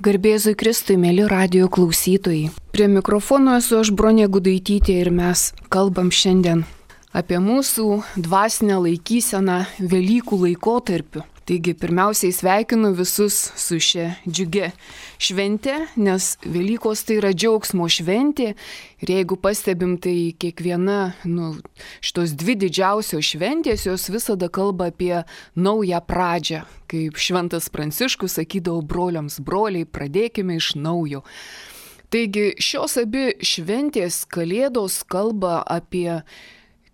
Garbėzui Kristui, mėly radijo klausytojai. Prie mikrofono esu aš, Bronė Gudaitytė, ir mes kalbam šiandien apie mūsų dvasinę laikyseną Velykų laikotarpiu. Taigi pirmiausiai sveikinu visus su šia džiugia švente, nes Velykos tai yra džiaugsmo šventė. Ir jeigu pastebim, tai kiekviena šitos dvi didžiausios šventės, jos visada kalba apie naują pradžią. Kaip Šventas Pranciškus sakydavo broliams: broliai, pradėkime iš naujo. Taigi šios abi šventės, Kalėdos, kalba apie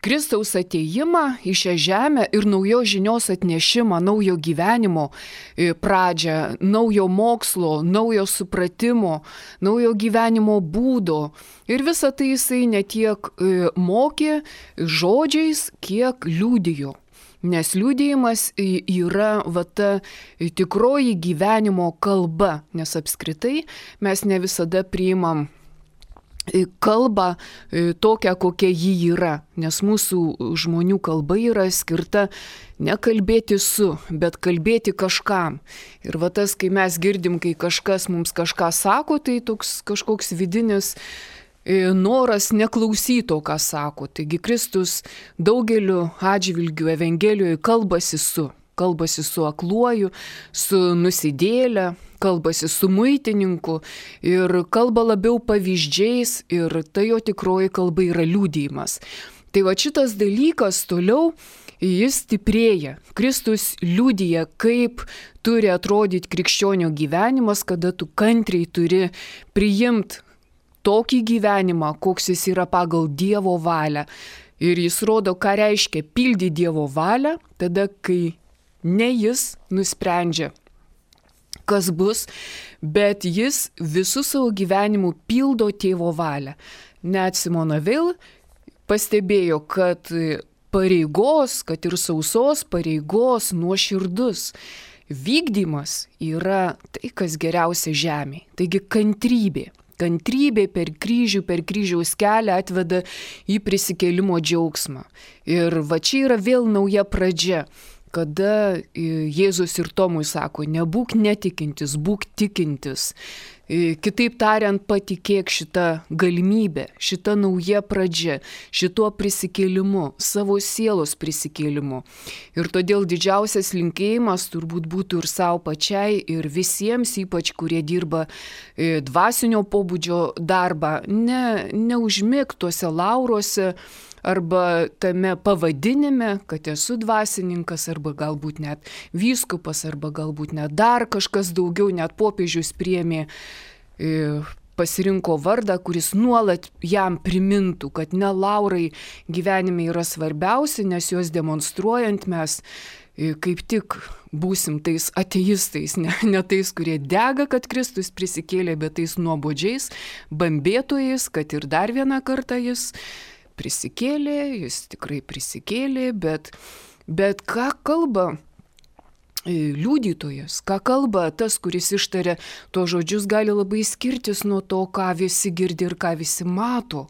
Kristaus atėjimą į šią žemę ir naujos žinios atnešimą, naujo gyvenimo pradžią, naujo mokslo, naujo supratimo, naujo gyvenimo būdo. Ir visą tai jisai ne tiek mokė žodžiais, kiek liudijo. Nes liudijimas yra ta tikroji gyvenimo kalba, nes apskritai mes ne visada priimam kalbą tokią, kokia ji yra, nes mūsų žmonių kalba yra skirta ne kalbėti su, bet kalbėti kažkam. Ir tas, kai mes girdim, kai kažkas mums kažką sako, tai toks kažkoks vidinis noras neklausyti to, ką sako. Taigi Kristus daugeliu atžvilgių Evangelijoje kalbasi su akluoju, su nusidėle, kalbasi su muitininku ir kalba labiau pavyzdžiais, ir tai jo tikroji kalba yra liudijimas. Tai šitas dalykas toliau jis stiprėja. Kristus liudija, kaip turi atrodyti krikščionio gyvenimas, kada tu kantriai turi priimti tokį gyvenimą, koks jis yra pagal Dievo valią. Ir jis rodo, ką reiškia pildyti Dievo valią, tada, kai ne jis nusprendžia, kas bus, bet jis visų savo gyvenimų pildo tėvo valią. Net Simona Veil pastebėjo, kad pareigos, kad ir sausos pareigos nuoširdus vykdymas yra tai, kas geriausia žemėje. Taigi kantrybė. Kantrybė per kryžiaus kelią atveda į prisikėlimo džiaugsmą. Ir čia yra vėl nauja pradžia, kada Jėzus ir Tomui sako: nebūk netikintis, būk tikintis. Kitaip tariant, patikėk šitą galimybę, šitą nauja pradžia, šituo prisikėlimu, savo sielos prisikėlimu. Ir todėl didžiausias linkėjimas turbūt būtų ir savo pačiai, ir visiems, ypač kurie dirba dvasinio pobūdžio darbą, neužmigti tuose lauruose, arba tame pavadinime, kad esu dvasininkas, arba galbūt net vyskupas, arba galbūt net dar kažkas daugiau, net popiežius priėmė, pasirinko vardą, kuris nuolat jam primintų, kad ne laurai gyvenime yra svarbiausi, nes juos demonstruojant mes kaip tik būsim tais ateistais, ne tais, kurie dega, kad Kristus prisikėlė, bet tais nuobodžiais bambėtojais, kad ir dar vieną kartą jis prisikėlė, jis tikrai prisikėlė, bet ką kalba liudytojas, ką kalba tas, kuris ištaria tuos žodžius, gali labai skirtis nuo to, ką visi girdi ir ką visi mato.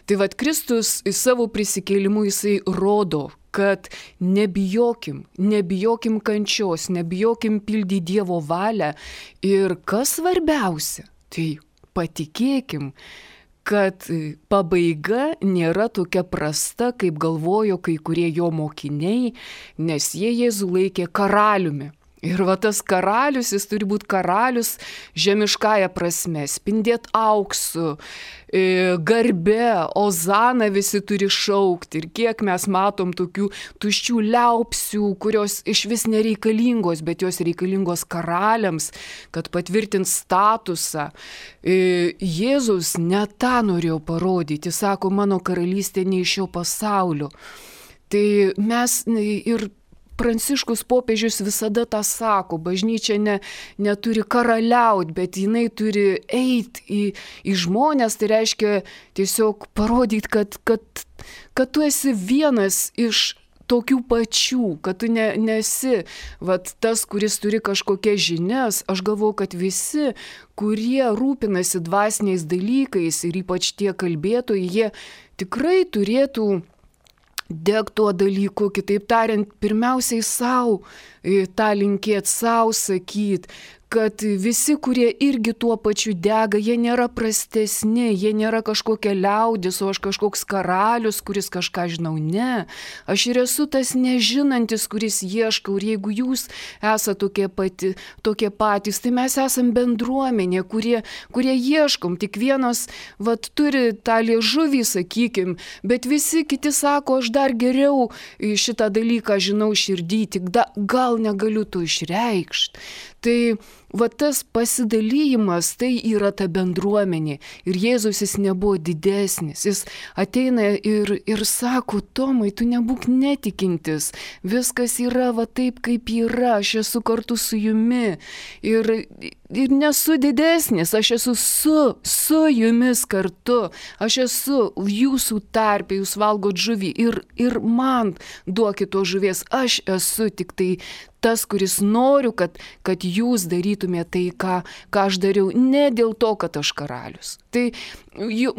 Tai Kristus savo prisikėlimu jisai rodo, kad nebijokim kančios, nebijokim pildyti Dievo valią ir kas svarbiausia, tai patikėkim, kad pabaiga nėra tokia prasta, kaip galvojo kai kurie jo mokiniai, nes jie Jėzų laikė karaliumi. Ir tas karalius, jis turi būti karalius žemiškąja prasme, spindėti auksu, garbe, ozana visi turi šaukti. Ir kiek mes matom tokių tuščių liaupsių, kurios iš vis nereikalingos, bet jos reikalingos karaliams, kad patvirtint statusą. Jėzus ne tą norėjo parodyti, jis sako, mano karalystė ne iš šio pasaulio. Tai mes ir Pranciškus popiežius visada tą sako, bažnyčia neturi karaliauti, bet jinai turi eiti į žmonės, tai reiškia tiesiog parodyti, kad tu esi vienas iš tokių pačių, kad tu nesi tas, kuris turi kažkokias žinias. Aš galvoju, kad visi, kurie rūpinasi dvasiniais dalykais ir ypač tie kalbėtojai, jie tikrai turėtų deg tuo dalyku, kitaip tariant, pirmiausiai savo tą linkėt, savo sakyt, kad visi, kurie irgi tuo pačiu dega, jie nėra prastesni, jie nėra kažkokia liaudis, o aš kažkoks karalius, kuris kažką žinau. Ne, aš ir esu tas nežinantis, kuris ieškau. Ir jeigu jūs esate tokie patys, tai mes esam bendruomenė, kurie ieškom. Tik vienas turi tą liežuvį, sakykim, bet visi kiti sako, aš dar geriau šitą dalyką žinau širdį, tik gal negaliu to išreikšti. Tai tas pasidalymas, tai yra ta bendruomenė. Ir Jėzus jis nebuvo didesnis. Jis ateina ir sako, Tomai, tu nebūk netikintis. Viskas yra taip, kaip yra. Aš esu kartu su jumi. Ir nesu didesnis. Aš esu su jumis kartu. Aš esu jūsų tarpe. Jūs valgot žuvį. Ir man duokit to žuvies. Aš esu tik tai tas, kuris noriu, kad jūs darytumėte tai, ką aš dariau, ne dėl to, kad aš karalius. Tai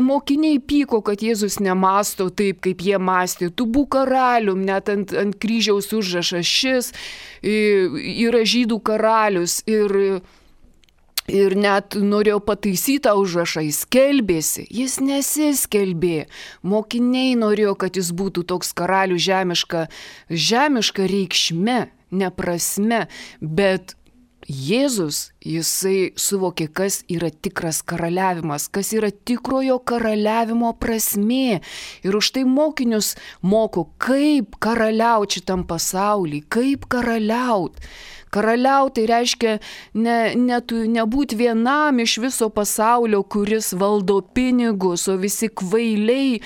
mokiniai pyko, kad Jėzus nemąsto taip, kaip jie mąstė. Tu būk karalium, net ant kryžiaus užrašas šis yra žydų karalius ir net norėjo pataisyti tą užrašą, jis skelbėsi, jis nesiskelbė. Mokiniai norėjo, kad jis būtų toks karalius žemiška reikšme, ne prasme, bet Jėzus, jisai suvokė, kas yra tikras karaliavimas, kas yra tikrojo karaliavimo prasmė. Ir už tai mokinius moko, kaip karaliauti šitam pasaulyje, kaip karaliauti. Karaliauti tai reiškia nebūti vienam iš viso pasaulio, kuris valdo pinigus, o visi kvailiai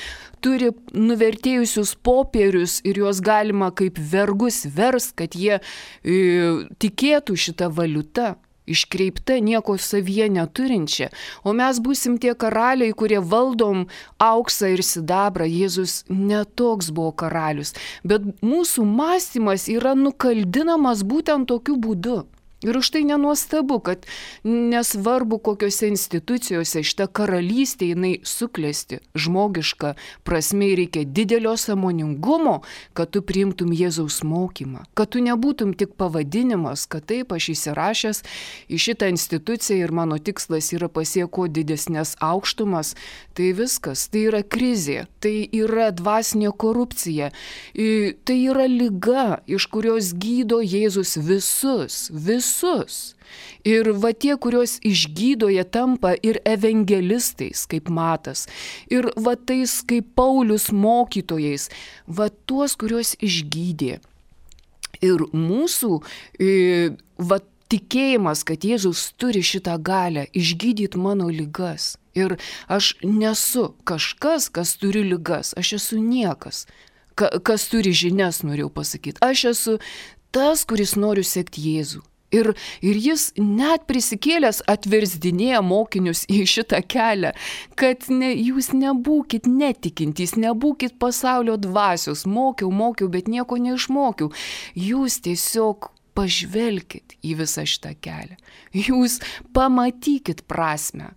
turi nuvertėjusius popierius ir juos galima kaip vergus verst, kad jie tikėtų šitą valiutą. Iškreipta, nieko savyje neturinčia. O mes būsim tie karaliai, kurie valdom auksą ir sidabrą. Jėzus netoks buvo karalius. Bet mūsų mąstymas yra nukaldinamas būtent tokiu būdu. Ir už tai nenuostabu, kad nesvarbu kokiose institucijose šita karalystė jinai suklesti. Žmogiška prasme reikia didelio sąmoningumo, kad tu priimtum Jėzaus mokymą. Kad tu nebūtum tik pavadinimas, kad taip aš įsirašęs į šitą instituciją ir mano tikslas yra pasieko didesnės aukštumas. Tai viskas, tai yra krizė, tai yra dvasinė korupcija, tai yra liga, iš kurios gydo Jėzus visus. Ir tie, kuriuos išgydo, jie tampa ir evangelistais, kaip Matas, ir tais, kaip Paulius mokytojais, tuos, kuriuos išgydė. Ir mūsų tikėjimas, kad Jėzus turi šitą galią išgydyti mano ligas. Ir aš nesu kažkas, kas turi ligas, aš esu niekas, kas turi žinias, norėjau pasakyti. Aš esu tas, kuris noriu sekti Jėzų. Ir jis net prisikėlęs atversdinėja mokinius į šitą kelią, kad jūs nebūkit netikintys, nebūkit pasaulio dvasios. Mokiau, bet nieko neišmokiau. Jūs tiesiog pažvelkit į visą šitą kelią. Jūs pamatykit prasmę.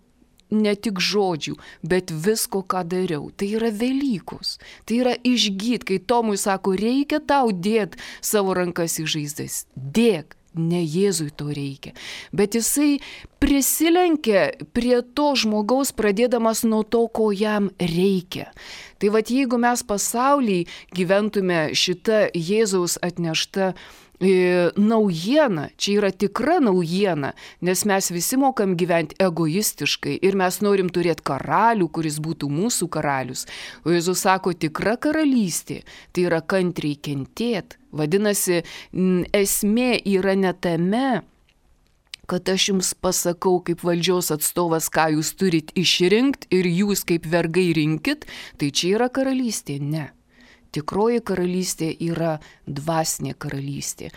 Ne tik žodžių, bet visko, ką dariau. Tai yra Velykos. Tai yra išgyt, kai Tomui sako, reikia tau dėt savo rankas į žaizdas. Dėk. Ne Jėzui to reikia, bet jisai prisilenkia prie to žmogaus, pradėdamas nuo to, ko jam reikia. Tai jeigu mes pasaulyje gyventume šitą Jėzaus atneštą naujiena, čia yra tikra naujiena, nes mes visi mokam gyventi egoistiškai ir mes norim turėti karalių, kuris būtų mūsų karalius. O Jėzus sako, tikra karalystė, tai yra kantriai kentėt. Vadinasi, esmė yra ne tame, kad aš jums pasakau kaip valdžios atstovas, ką jūs turit išrinkti ir jūs kaip vergai rinkit, tai čia yra karalystė. Ne. Tikroji karalystė yra dvasinė karalystė.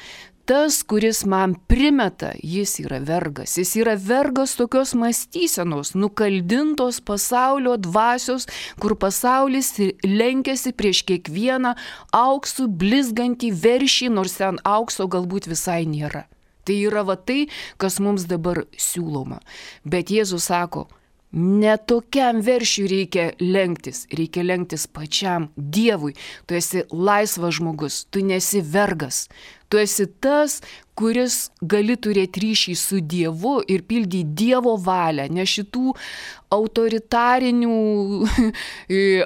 Tas, kuris man primeta, jis yra vergas. Jis yra vergas tokios mąstysenos, nukaldintos pasaulio dvasios, kur pasaulis lenkiasi prieš kiekvieną auksų blizgantį veršį, nors ten aukso galbūt visai nėra. Tai yra tai, kas mums dabar siūloma. Bet Jėzus sako, Ne tokiam veršiui reikia lenktis pačiam Dievui. Tu esi laisvas žmogus, tu nesi vergas. Tu esi tas, kuris gali turėti ryšį su Dievu ir pildyti Dievo valią, ne šitų autoritarinių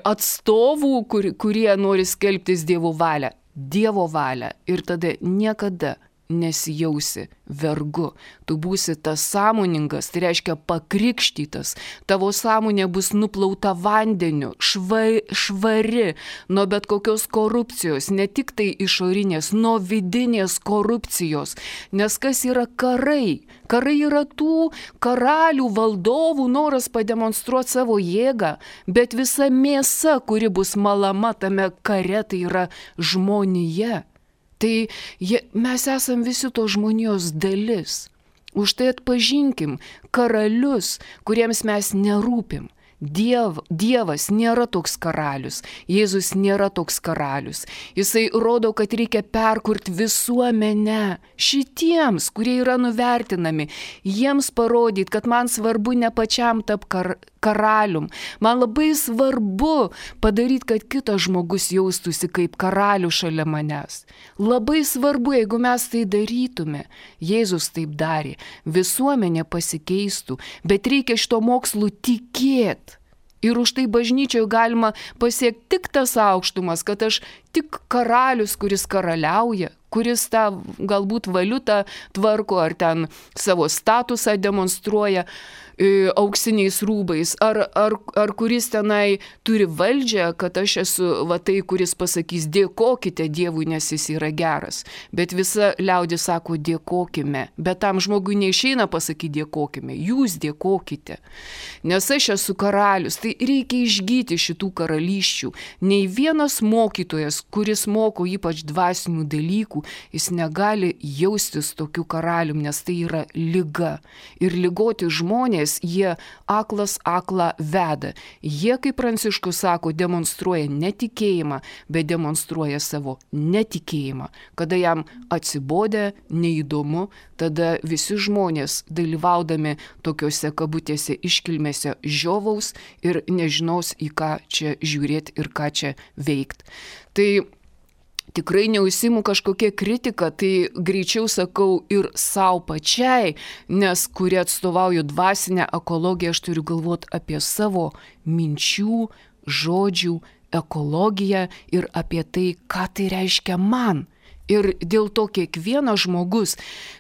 atstovų, kurie nori skelbtis Dievo valią. Dievo valią. Ir tada niekada nesijausi vergu. Tu būsi tas sąmoningas, tai reiškia pakrikštytas. Tavo sąmonė bus nuplauta vandeniu, švari nuo bet kokios korupcijos, ne tik tai išorinės, nuo vidinės korupcijos. Nes kas yra karai? Karai yra tų karalių, valdovų noras pademonstruoti savo jėgą, bet visa mėsa, kuri bus malama tame kare, tai yra žmonija. Tai mes esam visi to žmonijos dalis. Už tai atpažinkim karalius, kuriems mes nerūpim. Dievas nėra toks karalius, Jėzus nėra toks karalius. Jisai rodo, kad reikia perkurti visuomenę šitiems, kurie yra nuvertinami, jiems parodyti, kad man svarbu ne pačiam tap karalium. Man labai svarbu padaryti, kad kitas žmogus jaustųsi kaip karalių šalia manęs. Labai svarbu, jeigu mes tai darytume. Jėzus taip darė. Visuomenė pasikeistų, bet reikia šito mokslu tikėti. Ir už tai bažnyčioje galima pasiekti tik tas aukštumas, kad aš tik karalius, kuris karaliauja, kuris tą galbūt valiutą tvarko ar ten savo statusą demonstruoja auksiniais rūbais, ar kuris tenai turi valdžią, kad aš esu va tai, kuris pasakys dėkokite Dievui, nes jis yra geras. Bet visa liaudis sako dėkokime, bet tam žmogui neišeina pasakyti dėkokime, jūs dėkokite. Nes aš esu karalius, tai reikia išgyti šitų karalysčių. Nei vienas mokytojas, kuris moko ypač dvasinių dalykų, jis negali jaustis tokiu karalium, nes tai yra liga. Ir ligoti žmonės, jie aklas aklą veda. Jie, kaip Pranciškus sako, demonstruoja netikėjimą, bet demonstruoja savo netikėjimą. Kada jam atsibodė, neįdomu, tada visi žmonės dalyvaudami tokiuose kabutėse iškilmėse žiovaus ir nežinos, į ką čia žiūrėti ir ką čia veikti. Tai tikrai neužsiimu kažkokia kritika, tai greičiau sakau ir savo pačiai, nes kuri atstovauju dvasinę ekologiją, aš turiu galvoti apie savo minčių, žodžių ekologiją ir apie tai, ką tai reiškia man. Ir dėl to kiekvienas žmogus,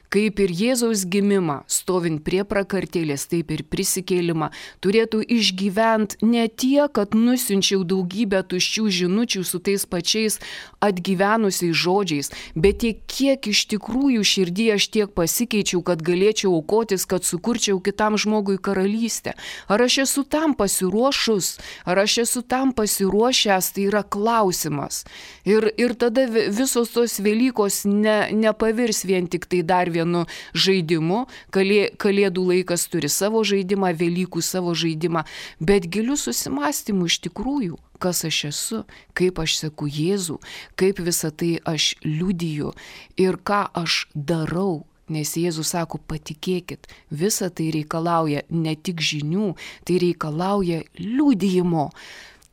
kaip ir Jėzaus gimimą, stovint prie prakartėlės, taip ir prisikėlimą, turėtų išgyventi ne tiek, kad nusiunčiau daugybę tuščių žinučių su tais pačiais atgyvenusiais žodžiais, bet tiek, kiek iš tikrųjų širdyje aš tiek pasikeičiau, kad galėčiau aukotis, kad sukurčiau kitam žmogui karalystę. Ar aš esu tam pasiruošus, ar aš esu tam pasiruošęs, tai yra klausimas. Ir tada visos tos Velykos nepavirs vien tik tai dar vienu žaidimu. Kalėdų laikas turi savo žaidimą, Velykų savo žaidimą, bet giliu susimastymu iš tikrųjų, kas aš esu, kaip aš seku Jėzų, kaip visą tai aš liudiju ir ką aš darau. Nes Jėzus sako, patikėkit, visa tai reikalauja ne tik žinių, tai reikalauja liudijimo.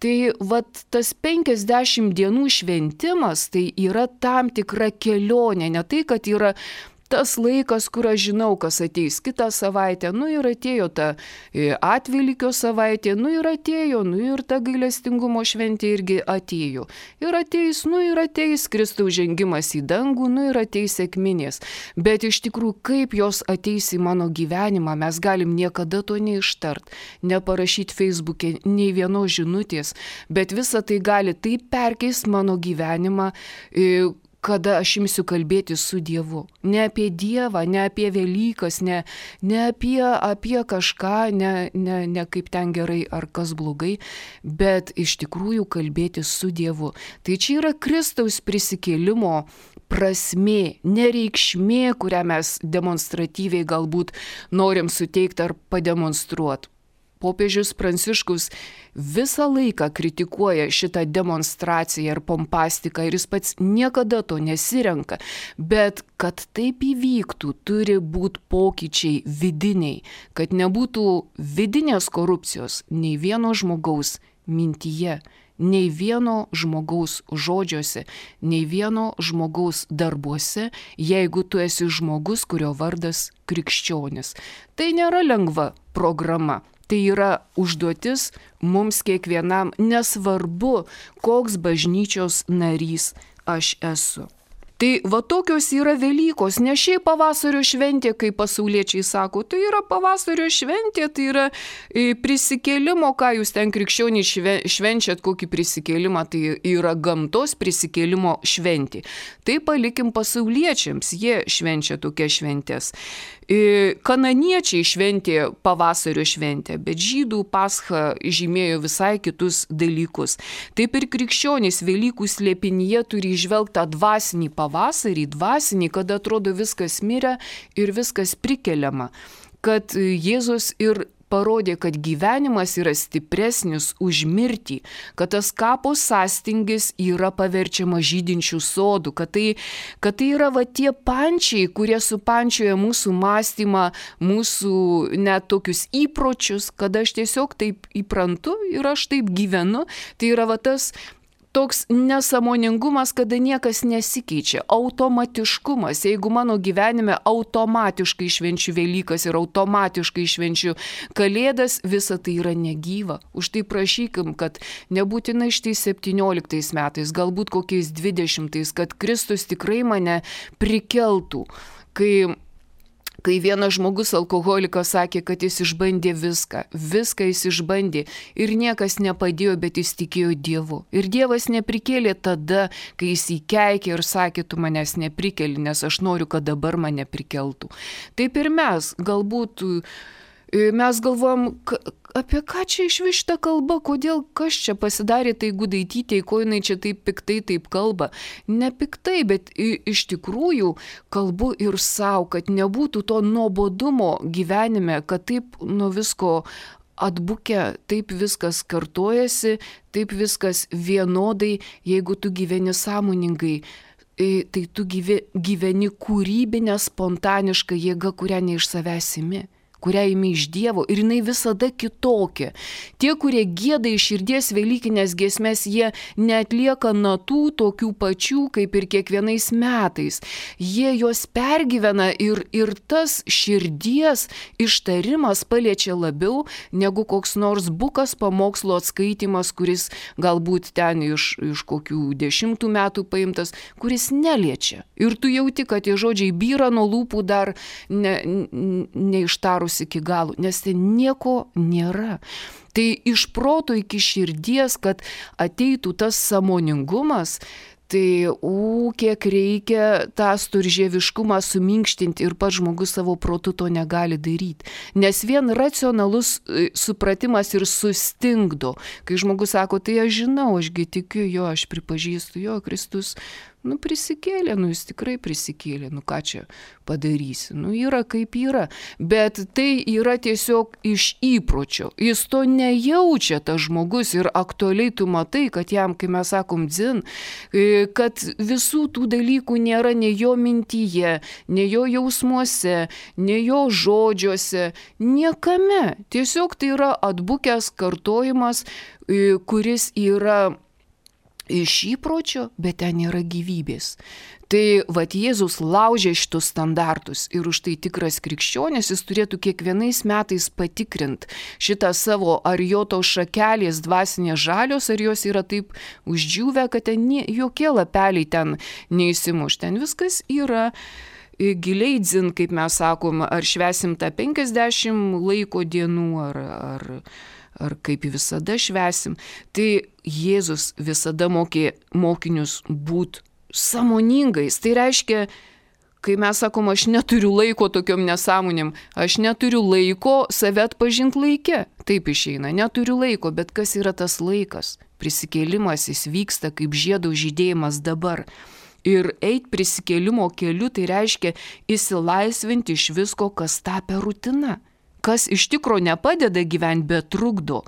Tai vat tas 50 dienų šventimas, tai yra tam tikra kelionė, ne tai, kad yra tas laikas, kur aš žinau, kas ateis kitą savaitę, ir atėjo ta atvelykio savaitė, ir atėjo, ir ta gailestingumo šventė irgi atėjo. Ir ateis Kristaus žengimas į dangų, ir ateis sekminės. Bet iš tikrųjų, kaip jos ateis į mano gyvenimą, mes galim niekada to neištart, neparašyti Facebook'e nei vienos žinutės, bet visa tai gali taip perkeisti mano gyvenimą, kada aš imsiu kalbėti su Dievu. Ne apie Dievą, ne apie Velykas, ne apie kažką, ne kaip ten gerai ar kas blogai, bet iš tikrųjų kalbėti su Dievu. Tai čia yra Kristaus prisikėlimo prasmė, nereikšmė, kurią mes demonstratyviai galbūt norim suteikti ar pademonstruoti. popiežius Pranciškus visą laiką kritikuoja šitą demonstraciją ir pompastiką ir jis pats niekada to nesirenka. Bet kad taip įvyktų, turi būti pokyčiai vidiniai, kad nebūtų vidinės korupcijos nei vieno žmogaus mintyje, nei vieno žmogaus žodžiuose, nei vieno žmogaus darbuose, jeigu tu esi žmogus, kurio vardas krikščionis. Tai nėra lengva programa. Tai yra užduotis mums kiekvienam, nesvarbu, koks bažnyčios narys aš esu. Tai va tokios yra Velykos, ne šiaip pavasario šventė, kaip pasauliečiai sako, tai yra pavasario šventė, tai yra prisikėlimo, ką jūs ten krikščioniai švenčiat, kokį prisikėlimą, tai yra gamtos prisikėlimo šventė. Tai palikim pasauliečiams, jie švenčia tokias šventės. Kananiečiai šventė pavasario šventę, bet žydų Pascha žymėjo visai kitus dalykus. Taip ir krikščionys Velykų slėpinyje turi įžvelgti tą dvasinį pavasarį, kada atrodo viskas mirę ir viskas prikeliama. Kad Jėzus ir parodė, kad gyvenimas yra stipresnis už mirtį, kad tas kapo sąstingis yra paverčiama žydinčių sodų, kad tai yra va tie pančiai, kurie supančioja mūsų mąstymą, mūsų net tokius įpročius, kad aš tiesiog taip įprantu ir aš taip gyvenu. Tai yra va tas toks nesąmoningumas, kada niekas nesikeičia, automatiškumas. Jeigu mano gyvenime automatiškai švenčiu Velykas ir automatiškai švenčiu Kalėdas, visa tai yra negyva. Už tai prašykim, kad nebūtinai štai 17 metais, galbūt kokiais 20, kad Kristus tikrai mane prikeltų. Kai vienas žmogus alkoholikas sakė, kad jis išbandė viską jis išbandė ir niekas nepadėjo, bet jis tikėjo Dievu. Ir Dievas neprikėlė tada, kai jis įkeikė ir sakė, tu manęs neprikeli, nes aš noriu, kad dabar mane prikeltų. Taip ir mes, galbūt mes galvojam, apie ką čia iš vis šita kalba, kodėl kas čia pasidarė tai Gudaitytei, ko jinai čia taip piktai taip kalba. Ne piktai, bet iš tikrųjų kalbu ir savo, kad nebūtų to nuobodumo gyvenime, kad taip nuo visko atbukę, taip viskas kartojasi, taip viskas vienodai, jeigu tu gyveni sąmoningai. Tai tu gyveni kūrybinę, spontanišką jėgą, kurią ne iš savęs imi, kurią imi iš Dievo ir jinai visada kitokia. Tie, kurie gieda iš širdies velykinės giesmės, jie neatlieka natų tokių pačių kaip ir kiekvienais metais. Jie juos pergyvena ir tas širdies ištarimas paliečia labiau negu koks nors bukas pamokslo atskaitimas, kuris galbūt ten iš kokių 10 metų paimtas, kuris neliečia. Ir tu jauti, kad tie žodžiai byra nuo lūpų dar neištarus iki galo, nes ten nieko nėra. Tai iš proto iki širdies, kad ateitų tas sąmoningumas, tai kiek reikia tą storžieviškumą suminkštinti ir pats žmogus savo protu to negali daryti. Nes vien racionalus supratimas ir sustingdo. Kai žmogus sako, tai aš žinau, ašgi tikiu jo, aš pripažįstu jo, Kristus prisikėlė, jis tikrai prisikėlė, ką čia padarysi, yra kaip yra, bet tai yra tiesiog iš įpročio, jis to nejaučia tas žmogus ir aktualiai tu matai, kad jam, kai mes sakom dzin, kad visų tų dalykų nėra nei jo mintyje, nei jo jausmuose, nei jo žodžiuose, niekame, tiesiog tai yra atbukęs kartojimas, kuris yra iš įpročio, bet ten yra gyvybės. Tai Jėzus laužė šitus standartus ir už tai tikras krikščionis jis turėtų kiekvienais metais patikrinti šitą savo, ar jo tos šakelės dvasinės žalios, ar jos yra taip uždžiūvę, kad ten jokie lapeliai ten neįsimuš. Ten viskas yra giliai dzin, kaip mes sakom, ar švesim tą 50 laiko dienų, ar kaip visada švesim. Tai Jėzus visada mokė mokinius būti sąmoningais. Tai reiškia, kai mes sakom, aš neturiu laiko tokiom nesąmonėm, aš neturiu laiko save atpažinti laike. Taip išeina, neturiu laiko, bet kas yra tas laikas? Prisikėlimas, jis vyksta kaip žiedų žydėjimas dabar. Ir eit prisikėlimo keliu, tai reiškia išsilaisvinti iš visko, kas tapę rutina. kas iš tikro nepadeda gyventi, bet trukdo.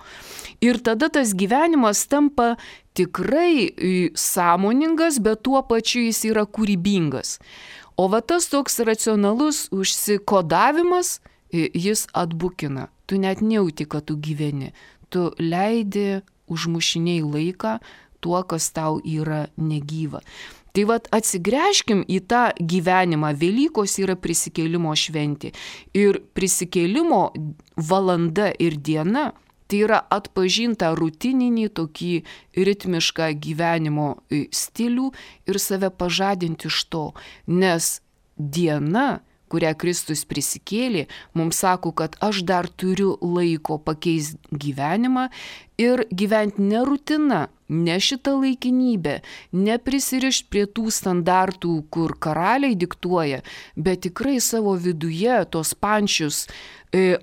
Ir tada tas gyvenimas tampa tikrai sąmoningas, bet tuo pačiu jis yra kūrybingas. O va tas toks racionalus užsikodavimas, jis atbukina. Tu net nejauti, kad tu gyveni. Tu leidi užmušiniai laiką tuo, kas tau yra negyva. Tai vat atsigręžkim į tą gyvenimą. Velykos yra prisikėlimo šventė. Ir prisikėlimo valanda ir diena tai yra atpažinta rutininį tokį ritmišką gyvenimo stilių ir save pažadinti iš to. Nes diena, kurią Kristus prisikėlė, mums sako, kad aš dar turiu laiko pakeisti gyvenimą ir gyventi ne rutina, ne šitą laikinybę, neprisirišti prie tų standartų, kur karaliai diktuoja, bet tikrai savo viduje tos pančius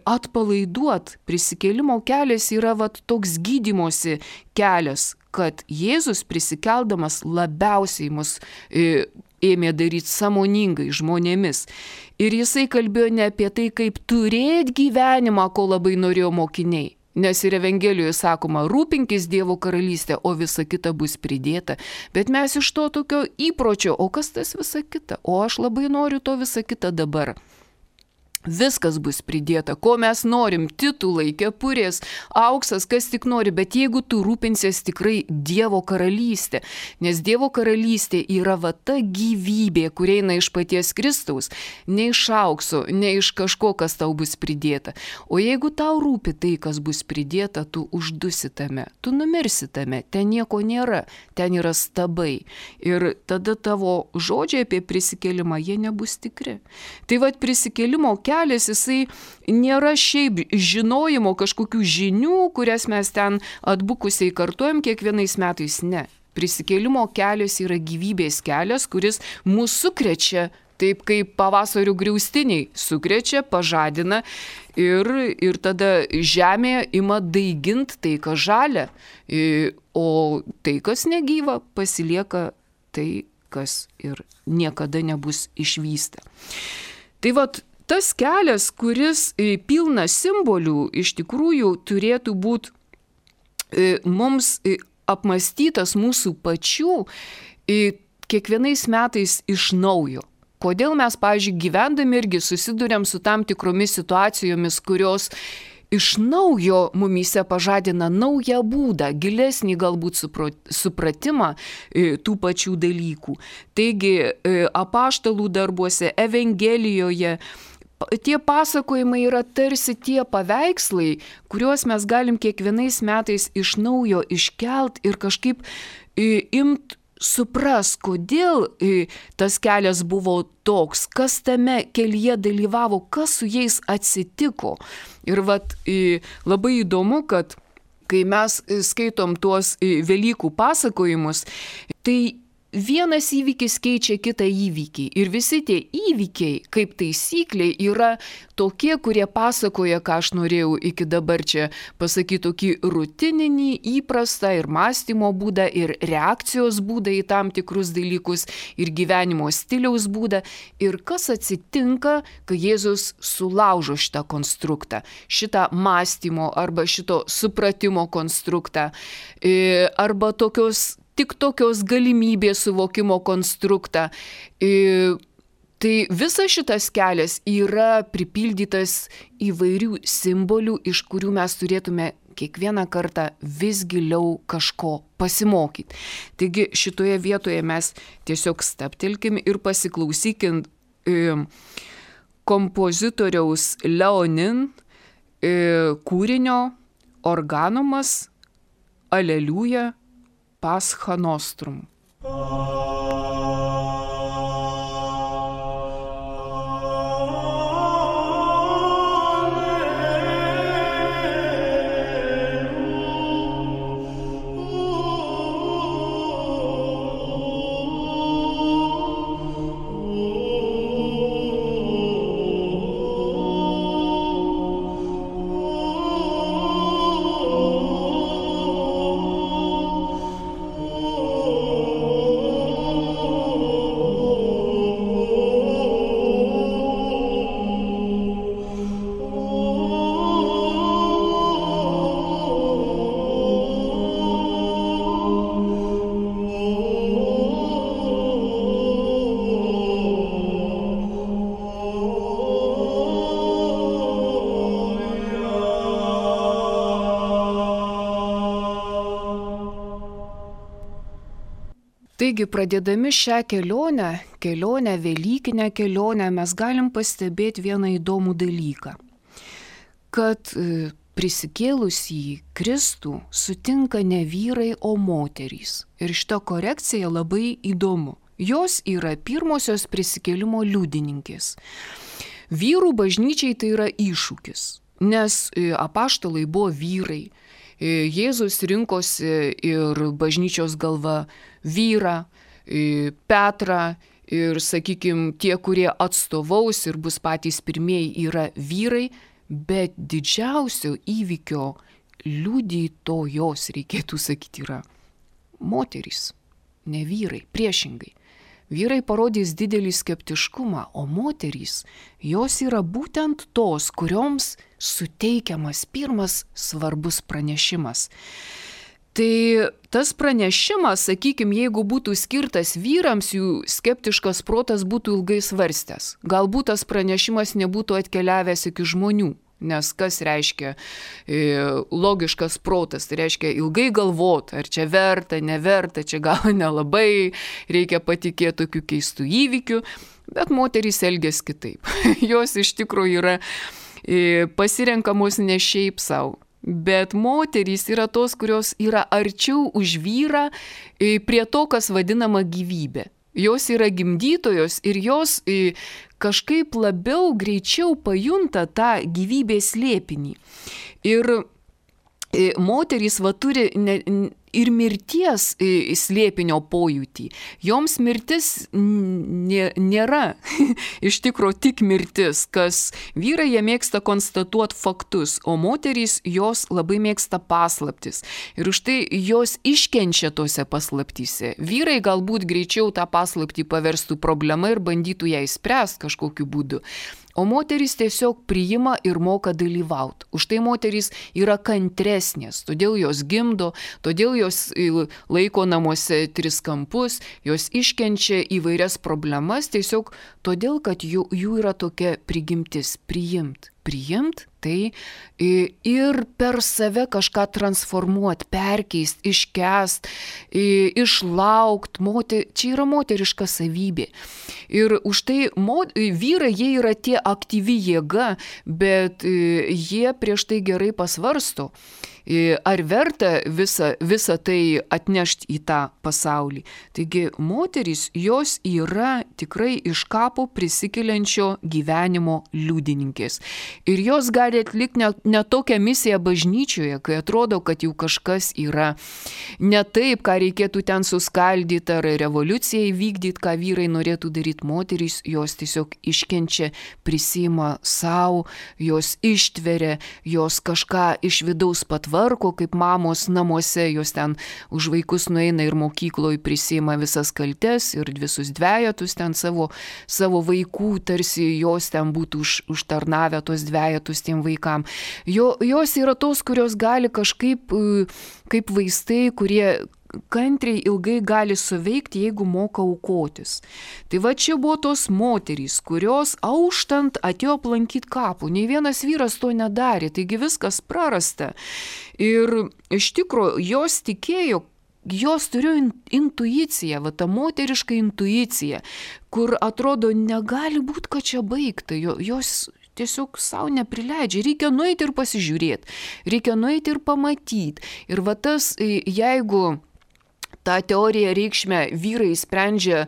atpalaiduot. Prisikėlimo kelias yra vat toks gydymosi kelias, kad Jėzus prisikeldamas labiausiai mus ėmė daryti sąmoningai žmonėmis. Ir jisai kalbėjo ne apie tai, kaip turėti gyvenimą, ko labai norėjo mokiniai. Nes ir Evangelijoje sakoma, rūpinkis Dievo karalystę, o visa kita bus pridėta. Bet mes iš to tokio įpročio, o kas tas visa kita? O aš labai noriu to visa kita dabar. Viskas bus pridėta, ko mes norim, titulai, kepurės, auksas, kas tik nori, bet jeigu tu rūpinsies tikrai Dievo karalystė, nes Dievo karalystė yra va ta gyvybė, kuri eina iš paties Kristaus, ne iš aukso, ne iš kažko, kas tau bus pridėta. O jeigu tau rūpi tai, kas bus pridėta, tu uždusi tame, tu numirsi tame, ten nieko nėra, ten yra stabai. Ir tada tavo žodžiai apie prisikėlimą, jie nebus tikri. Tai va prisikėlimo kelias, jisai nėra šiaip žinojimo kažkokių žinių, kurias mes ten atbukusiai kartuojam kiekvienais metais, ne. Prisikėlimo kelias yra gyvybės kelias, kuris mūsų sukrečia, taip kaip pavasario griaustiniai sukrečia, pažadina ir tada žemė ima daigint tai, kas žalia, o tai, kas negyva, pasilieka tai, kas ir niekada nebus išvysta. Tai vat, tas kelias, kuris pilnas simbolių, iš tikrųjų turėtų būti mums apmąstytas mūsų pačių kiekvienais metais iš naujo. Kodėl mes, pavyzdžiui, gyvendami irgi susiduriam su tam tikromis situacijomis, kurios iš naujo mumyse pažadina naują būdą, gilesnį galbūt supratimą tų pačių dalykų. Taigi, apaštalų darbuose, Evangelijoje, tie pasakojimai yra tarsi tie paveikslai, kuriuos mes galim kiekvienais metais iš naujo iškelt ir kažkaip imt supras, kodėl tas kelias buvo toks, kas tame kelyje dalyvavo, kas su jais atsitiko. Ir vat labai įdomu, kad kai mes skaitom tuos Velykų pasakojimus, tai vienas įvykis keičia kitą įvykį. Ir visi tie įvykiai, kaip taisyklė, yra tokie, kurie pasakoja, ką aš norėjau iki dabar čia pasakyti, tokį rutininį, įprastą ir mąstymo būdą, ir reakcijos būdą į tam tikrus dalykus, ir gyvenimo stiliaus būdą. Ir kas atsitinka, kai Jėzus sulaužo šitą konstruktą, šitą mąstymo arba šito supratimo konstruktą, arba tik tokios galimybės suvokimo konstruktą. Tai visas šitas kelias yra pripildytas įvairių simbolių, iš kurių mes turėtume kiekvieną kartą vis giliau kažko pasimokyti. Taigi šitoje vietoje mes tiesiog stabtelkim ir pasiklausykim kompozitoriaus Leonin kūrinio Organumas Aleliuja Pascha Nostrum. Oh Taigi, pradėdami šią kelionę, velykinę kelionę, mes galim pastebėti vieną įdomų dalyką, kad prisikėlusį Kristų sutinka ne vyrai, o moterys. Ir šita korekcija labai įdomu. Jos yra pirmosios prisikėlimo liudininkės. Vyrų bažnyčiai tai yra iššūkis, nes apaštalai buvo vyrai. Jėzus rinkosi ir bažnyčios galva vyrą, Petrą ir, sakykime, tie, kurie atstovaus ir bus patys pirmieji, yra vyrai, bet didžiausio įvykio liudytojos, reikėtų sakyti, yra moterys, ne vyrai, priešingai. Vyrai parodys didelį skeptiškumą, o moterys, jos yra būtent tos, kurioms suteikiamas pirmas svarbus pranešimas. Tai tas pranešimas, sakykime, jeigu būtų skirtas vyrams, jų skeptiškas protas būtų ilgai svarstęs. Galbūt tas pranešimas nebūtų atkeliavęs iki žmonių. Nes kas reiškia logiškas protas, tai reiškia ilgai galvoti, ar čia verta, neverta, čia gal nelabai, reikia patikėti tokių keistų įvykių, bet moterys elgiasi kitaip. Jos iš tikrųjų yra pasirenkamos ne šiaip savo, bet moterys yra tos, kurios yra arčiau už vyrą prie to, kas vadinama gyvybė. Jos yra gimdytojos ir jos kažkaip labiau greičiau pajunta tą gyvybės slėpinį. Ir moterys turi ir mirties slėpinio pojūtį. Joms mirtis nėra iš tikrųjų tik mirtis, kas vyrai jie mėgsta konstatuoti faktus, o moterys jos labai mėgsta paslaptis. Ir už tai jos iškenčia tose paslaptyse. Vyrai galbūt greičiau tą paslaptį paverstų problemą ir bandytų ją išspręsti kažkokiu būdu. O moterys tiesiog priima ir moka dalyvauti. Už tai moterys yra kantresnės, todėl jos gimdo, todėl jos laiko namuose 3 kampus, jos iškenčia įvairias problemas, tiesiog todėl, kad jų yra tokia prigimtis priimt. Priimt, tai ir per save kažką transformuoti, perkeisti, iškęst, išlaukt. Čia yra moteriška savybė. Ir už tai vyrai, jie yra tie aktyvi jėga, bet jie prieš tai gerai pasvarsto, ar verta visą tai atnešti į tą pasaulį. Taigi moterys, jos yra tikrai iš kapo prisikeliančio gyvenimo liudininkės. Ir jos gali atlikti ne tokią misiją bažnyčioje, kai atrodo, kad jau kažkas yra ne taip, ką reikėtų ten suskaldyti ar revoliuciją įvykdyti, ką vyrai norėtų daryti. Moterys, jos tiesiog iškenčia, prisima savo, jos ištveria, jos kažką iš vidaus patvarko, kaip mamos namuose, jos ten už vaikus nueina ir mokykloje prisima visas kaltes ir visus dvejetus ten savo vaikų, tarsi jos ten būtų užtarnavę tos dvejetus tiem vaikam. Jos yra tos, kurios gali kažkaip, kaip vaistai, kurie kantriai ilgai gali suveikti, jeigu moka aukotis. Tai va čia buvo tos moterys, kurios auštant atėjo aplankyti kapų. Nei vienas vyras to nedarė, taigi viskas prarasta. Ir iš tikrųjų jos tikėjo, jos turėjo intuiciją, va ta moteriška intuicija, kur atrodo negali būti, kad čia baigta. Jos tiesiog savo neprileidžia. Reikia nueiti ir pasižiūrėti. Reikia nueiti ir pamatyti. Ir va tas, jeigu tą teoriją reikšmę vyrai sprendžia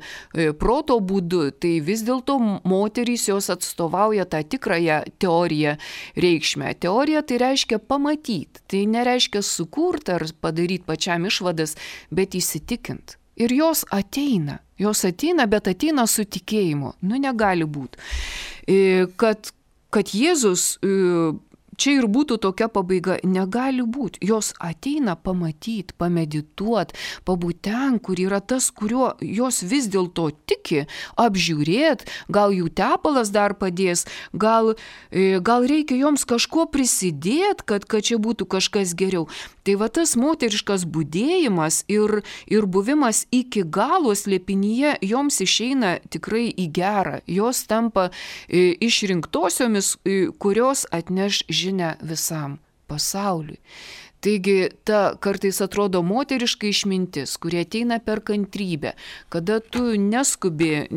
proto būdu, tai vis dėlto moterys jos atstovauja tą tikrąją teoriją reikšmę. Teorija tai reiškia pamatyti, tai nereiškia sukurti ar padaryti pačiam išvadas, bet įsitikint. Ir jos ateina, bet ateina su tikėjimu. Negali būti. Kad Jėzus čia ir būtų tokia pabaiga, negali būti. Jos ateina pamatyti, pamedituoti, pabūti ten, kur yra tas, kuriuo jos vis dėlto tiki, apžiūrėti, gal jų tepalas dar padės, gal reikia joms kažko prisidėti, kad čia būtų kažkas geriau. Tai va tas moteriškas budėjimas ir buvimas iki galo slėpinyje joms išeina tikrai į gerą. Jos tampa išrinktosiomis, kurios atneš žinią visam. pasauliui. Taigi ta kartais atrodo moteriška išmintis, kurie ateina per kantrybę, kada tu neskubi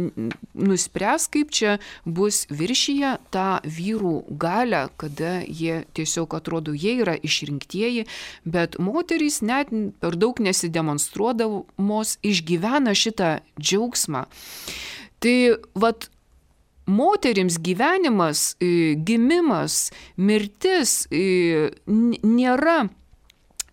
nuspręs, kaip čia bus viršyje tą vyrų galią, kada jie tiesiog atrodo, jie yra išrinktieji, bet moterys net per daug nesidemonstruodamos išgyvena šitą džiaugsmą. Tai vat moterims gyvenimas, gimimas, mirtis nėra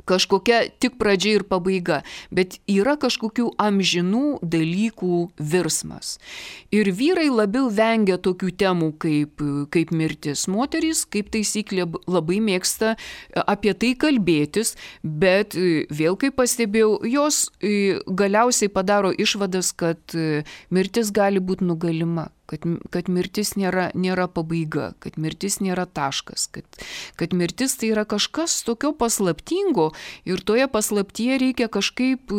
kažkokia tik pradžia ir pabaiga, bet yra kažkokių amžinų dalykų virsmas. Ir vyrai labiau vengia tokių temų kaip mirtis. Moterys, kaip taisyklė, labai mėgsta apie tai kalbėtis, bet vėl, kaip pastebėjau, jos galiausiai padaro išvadas, kad mirtis gali būti nugalima. Kad mirtis nėra pabaiga, kad mirtis nėra taškas, kad mirtis tai yra kažkas tokio paslaptingo ir toje paslaptyje reikia kažkaip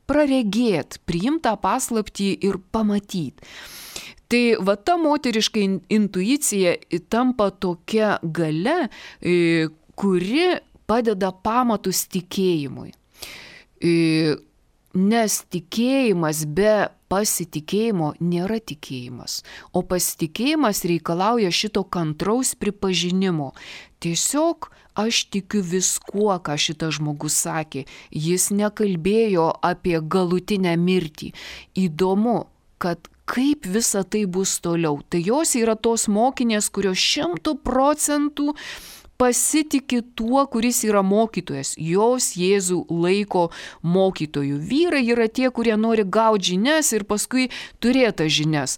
praregėti, priimti tą paslaptį ir pamatyti. Tai va ta moteriška intuicija tampa tokia galia, kuri padeda pamatus tikėjimui. Nes tikėjimas be pasitikėjimo nėra tikėjimas, o pasitikėjimas reikalauja šito kantraus pripažinimo. Tiesiog aš tikiu viskuo, ką šitas žmogus sakė. Jis nekalbėjo apie galutinę mirtį. Įdomu, kad kaip visa tai bus toliau. Tai jos yra tos mokinės, kurios 100% pasitiki tuo, kuris yra mokytojas. Jos Jėzų laiko mokytojų. Vyrai yra tie, kurie nori gauti žinias ir paskui turėti žinias.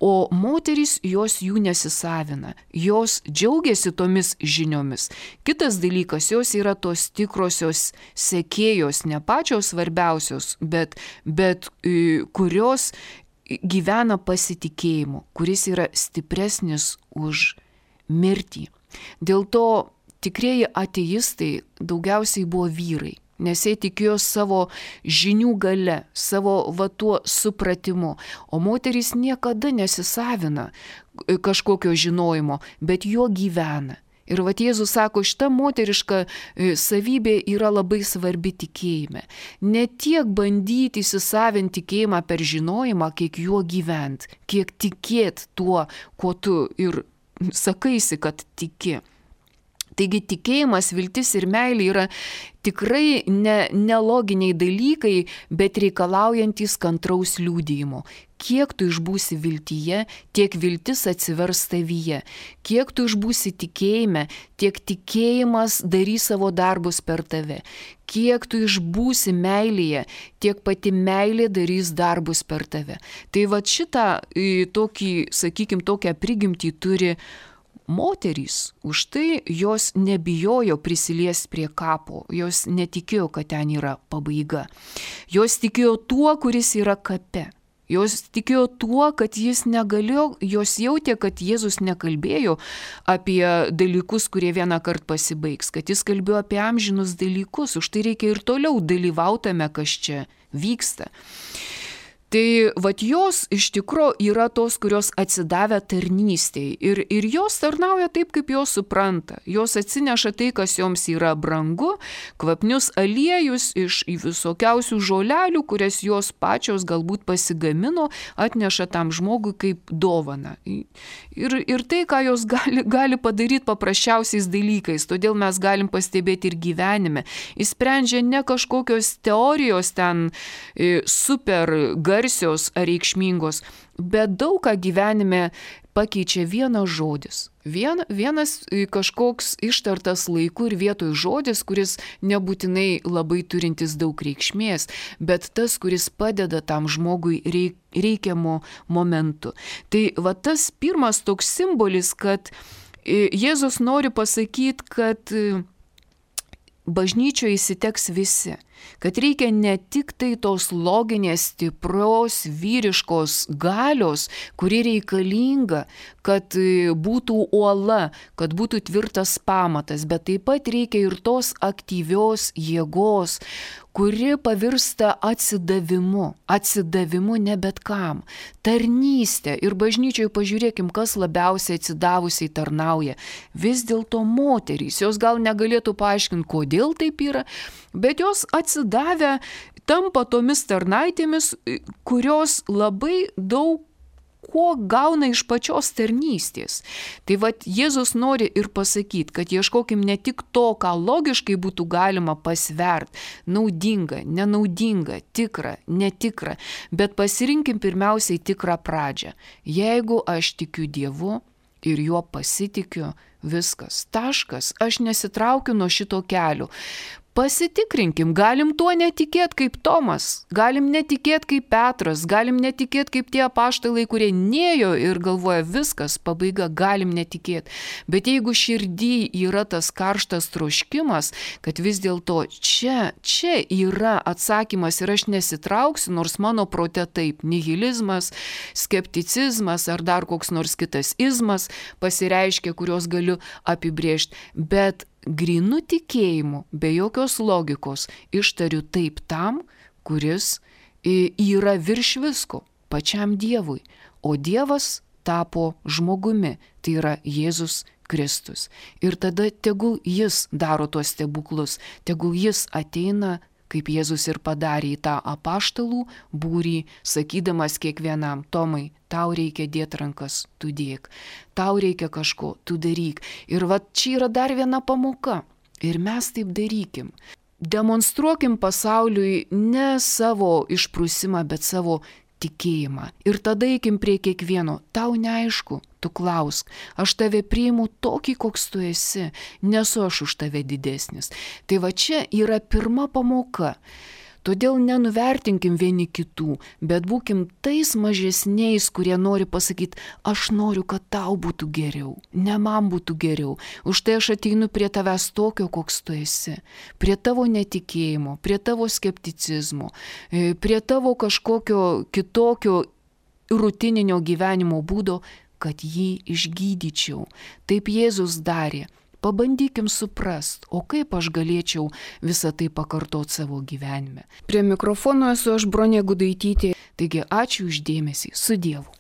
O moterys jos jų nesisavina. Jos džiaugiasi tomis žiniomis. Kitas dalykas, jos yra tos tikrosios sekėjos, ne pačios svarbiausios, bet kurios gyvena pasitikėjimu, kuris yra stipresnis už mirtį. Dėl to tikrieji ateistai daugiausiai buvo vyrai, nes jie tikėjo savo žinių gale, savo tuo supratimu, o moterys niekada nesisavina kažkokio žinojimo, bet juo gyvena. Ir Jėzus sako, šita moteriška savybė yra labai svarbi tikėjime. Ne tiek bandyti įsisavinti tikėjimą per žinojimą, kiek juo gyvent, kiek tikėt tuo, kuo tu ir sakaisi, kad tiki. Taigi tikėjimas, viltis ir meilė yra tikrai neloginiai dalykai, bet reikalaujantis kantraus liudijimo. Kiek tu išbūsi viltyje, tiek viltis atsivers tavyje. Kiek tu išbūsi tikėjime, tiek tikėjimas darys savo darbus per tave. Kiek tu išbūsi meilėje, tiek pati meilė darys darbus per tave. Tai šitą tokią prigimtį turi moterys. Už tai jos nebijojo prisiliesti prie kapo, jos netikėjo, kad ten yra pabaiga. Jos tikėjo tuo, kuris yra kape. Jos tikėjo tuo, kad jis negalėjo, jos jautė, kad Jėzus nekalbėjo apie dalykus, kurie vieną kartą pasibaigs, kad jis kalbėjo apie amžinus dalykus, už tai reikia ir toliau dalyvautame, kas čia vyksta. Tai jos iš tikro yra tos, kurios atsidavę tarnystėj ir jos tarnauja taip, kaip jos supranta. Jos atsineša tai, kas joms yra brangu, kvapnius aliejus iš visokiausių žolelių, kurias jos pačios galbūt pasigamino, atneša tam žmogui kaip dovana. Ir tai, ką jos gali padaryti paprasčiausiais dalykais, todėl mes galim pastebėti ir gyvenime. Jis sprendžia ne kažkokios teorijos ten super garsios ar reikšmingos, bet daug ką gyvenime pakeičia vienas žodis. Vienas kažkoks ištartas laiku ir vietoj žodis, kuris nebūtinai labai turintis daug reikšmės, bet tas, kuris padeda tam žmogui reikiamu momentu. Tai tas pirmas toks simbolis, kad Jėzus nori pasakyti, kad bažnyčioje įsiteks visi. kad reikia ne tik tai tos loginės, stiprios, vyriškos galios, kuri reikalinga, kad būtų uola, kad būtų tvirtas pamatas, bet taip pat reikia ir tos aktyvios jėgos, kuri pavirsta atsidavimu ne bet kam, tarnystė. Ir bažnyčioje pažiūrėkim, kas labiausiai atsidavusiai tarnauja. Vis dėlto moterys, jos gal negalėtų paaiškinti, kodėl taip yra, bet jos atsidavę tampa tomis tarnaitėmis, kurios labai daug ko gauna iš pačios tarnystės. Tai vat Jėzus nori ir pasakyti, kad ieškokim ne tik to, ką logiškai būtų galima pasvert, naudinga, nenaudinga, tikra, netikra, bet pasirinkim pirmiausiai tikrą pradžią. Jeigu aš tikiu Dievu ir juo pasitikiu, viskas, taškas, aš nesitraukiu nuo šito kelio. Pasitikrinkim, galim tuo netikėti kaip Tomas, galim netikėti kaip Petras, galim netikėti kaip tie apaštalai, kurie nėjo ir galvoja viskas, pabaiga, galim netikėti. Bet jeigu širdį yra tas karštas troškimas, kad vis dėlto čia yra atsakymas ir aš nesitrauksiu, nors mano prote taip, nihilizmas, skepticizmas ar dar koks nors kitas izmas pasireiškia, kurios galiu apibrėžti, bet grinu tikėjimu, be jokios logikos, ištariu taip tam, kuris yra virš visko, pačiam Dievui. O Dievas tapo žmogumi, tai yra Jėzus Kristus. Ir tada tegul jis daro tuos stebuklus, tegul jis ateina, kaip Jėzus ir padarė, į tą apaštalų būrį, sakydamas kiekvienam: Tomai, tau reikia dėti rankas, tu dėk, tau reikia kažko, tu daryk. Ir va čia yra dar viena pamoka. Ir mes taip darykim. Demonstruokim pasauliui ne savo išprusimą, bet savo tikėjimą. Ir tada eikim prie kiekvieno. Tau neaišku, tu klausk. Aš tave priimu tokį, koks tu esi. Nesu aš už tave didesnis. Tai va čia yra pirma pamoka. Todėl nenuvertinkim vieni kitų, bet būkim tais mažesniais, kurie nori pasakyti: aš noriu, kad tau būtų geriau, ne man būtų geriau. Už tai aš ateinu prie tavęs tokio, koks tu esi. Prie tavo netikėjimo, prie tavo skepticizmo, prie tavo kažkokio kitokio rutininio gyvenimo būdo, kad jį išgydyčiau. Taip Jėzus darė. Pabandykim suprast, o kaip aš galėčiau visą tai pakartoti savo gyvenime. Prie mikrofono esu aš, Bronė Gudaitytė. Taigi ačiū už dėmesį. Su Dievu.